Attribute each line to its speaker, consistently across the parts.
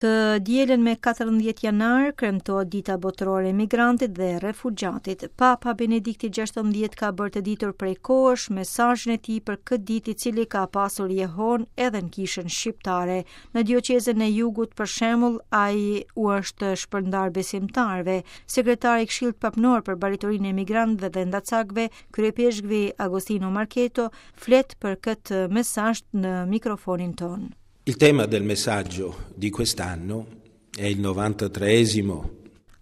Speaker 1: Të dielën me 14 janar kremtohet Dita Botërore e Migrantit dhe Refugjatit. Papa Benedikti XVI ka bërë të ditur prej kohësh mesazhin e tij për këtë ditë i cili ka pasur jehonë edhe në kishën shqiptare. Në dioqezën e Jugut për shembull, ai u është shpërndarë besimtarëve. Sekretari i Këshillit Papnor për Baritorinë e Emigrantëve dhe Endacakëve, kryeipeshkvi Agostino Marchetto, flet për këtë mesazh në mikrofonin tonë.
Speaker 2: Il tema del messaggio di quest'anno è il 93esimo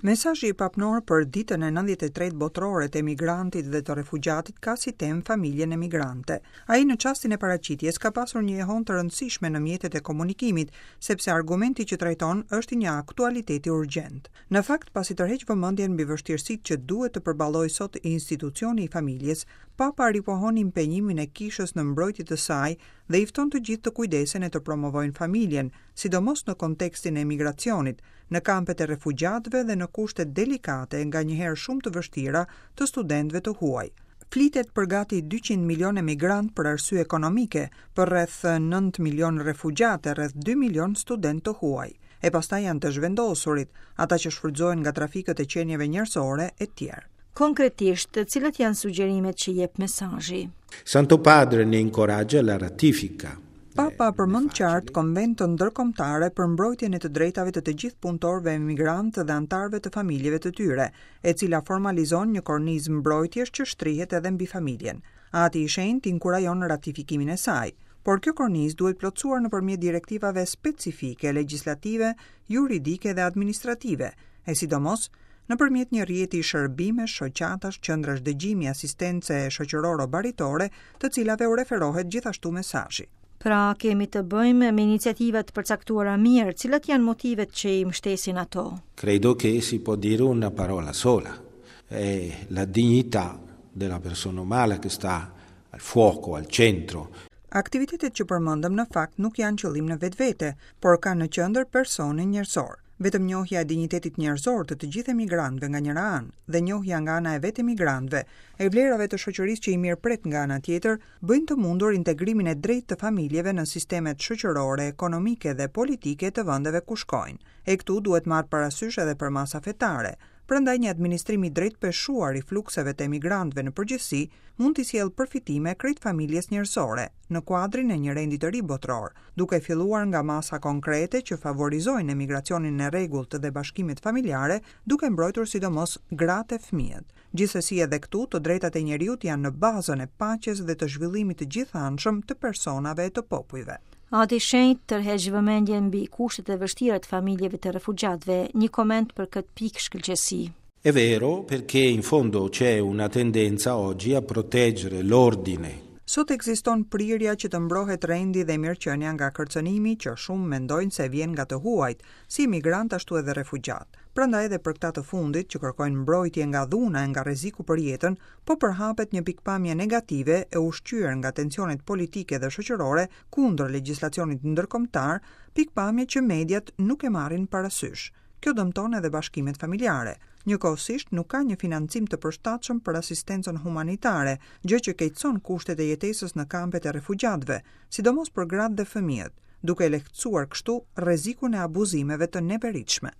Speaker 3: Mesazhi papnor për ditën e 93 botërore të emigrantit dhe të refugjatit ka si temë familjen emigrante. Ai në çastin e paraqitjes ka pasur një jehonë të rëndësishme në mjetet e komunikimit, sepse argumenti që trajton është i një aktualiteti urgjent. Në fakt, pasi tërheq vëmendjen mbi vështirësitë që duhet të përballojë sot institucioni i familjes, Papa ripohon impenjimin e kishës në mbrojtje të saj dhe i fton të gjithë të kujdesen e të promovojnë familjen, sidomos në kontekstin e emigracionit, në kampet e refugjatëve dhe në kushtet delikate e nganjëherë shumë të vështira të studentëve të huaj. Flitet për gati 200 milionë emigrantë për arsye ekonomike, për rreth 9 milionë refugjatë e rreth 2 milionë studentë të huaj. E pastaj janë të zhvendosurit, ata që shfrytëzohen nga trafikët e qenieve njerëzore etj.
Speaker 1: Konkretisht, cilat janë sugjerimet që jep mesazhi?
Speaker 2: Santo Padre ne incoraggia la ratifica.
Speaker 3: Papa përmend qartë Konventën Ndërkombëtare për mbrojtjen e të drejtave të të gjithë punëtorëve emigrantë dhe anëtarëve të familjeve të tyre, e cila formalizon një kornizë mbrojtjesh që shtrihet edhe mbi familjen. Ati i Shenjtë inkurajon ratifikimin e saj. Por kjo kornizë duhet plotësuar nëpërmjet direktivave specifike, legjislative, juridike dhe administrative, e sidomos nëpërmjet një rrjeti shërbimesh, shoqatash, qendrash dëgjimi, asistence shoqëroro-baritore, të cilave u referohet gjithashtu mesazhi.
Speaker 1: Pra, kemi të bëjmë me iniciativa të përcaktuara mirë, cilat janë motivet që i mbështesin ato?
Speaker 2: Credo che si può dire una parola sola, è la dignità della persona umana che sta al fuoco, al centro.
Speaker 3: Aktivitetet që përmendëm në fakt nuk janë qëllim në vetvete, por kanë në qendër personin njerëzor. Vetëm njohja e dinjitetit njerëzor të të gjithë emigrantëve nga njëra anë dhe njohja nga ana e vetë emigrantëve e vlerave të shoqërisë që i mirëpret nga ana tjetër, bëjnë të mundur integrimin e drejtë të familjeve në sistemet shoqërore, ekonomike dhe politike të vendeve ku shkojnë. E këtu duhet marrë parasysh edhe përmasa fetare. Prandaj një administrim i drejtpeshuar i flukseve të emigrantëve në përgjithësi mund t'i sjellë përfitime krejt familjes njerëzore, në kuadrin e një rendi të ri botëror, duke filluar nga masa konkrete që favorizojnë emigracionin e rregullt dhe bashkimet familjare, duke mbrojtur sidomos gratë e fëmijët. Gjithsesi edhe këtu të drejtat e njeriut janë në bazën e paqes dhe të zhvillimit të gjithanshëm të personave e të popujve.
Speaker 1: Ati i Shenjtë tërheq vëmendjen mbi kushtet e vështira të familjeve të refugjatëve. Një koment për këtë pikë shkëlqesi.
Speaker 2: È vero perché in fondo c'è una tendenza oggi a proteggere l'ordine.
Speaker 3: Sot ekziston prirja që të mbrohet rendi dhe mirëqenia nga kërcënimi që shumë mendojnë se vjen nga të huajt, si emigrantë ashtu edhe refugjatë. Prandaj edhe për këta të fundit që kërkojnë mbrojtje nga dhuna e nga rreziku për jetën, po përhapet një pikëpamje negative e ushqyer nga tensionet politike dhe shoqërore kundër legjislacionit ndërkombëtar, pikëpamje që mediat nuk e marrin parasysh. Kjo dëmton edhe bashkimet familjare. Njëkohësisht nuk ka një financim të përshtatshëm për asistencën humanitare, gjë që keqëson kushtet e jetesës në kampet e refugjatëve, sidomos për gratë dhe fëmijët, duke lehtësuar kështu rrezikun e abuzimeve të neveritshme.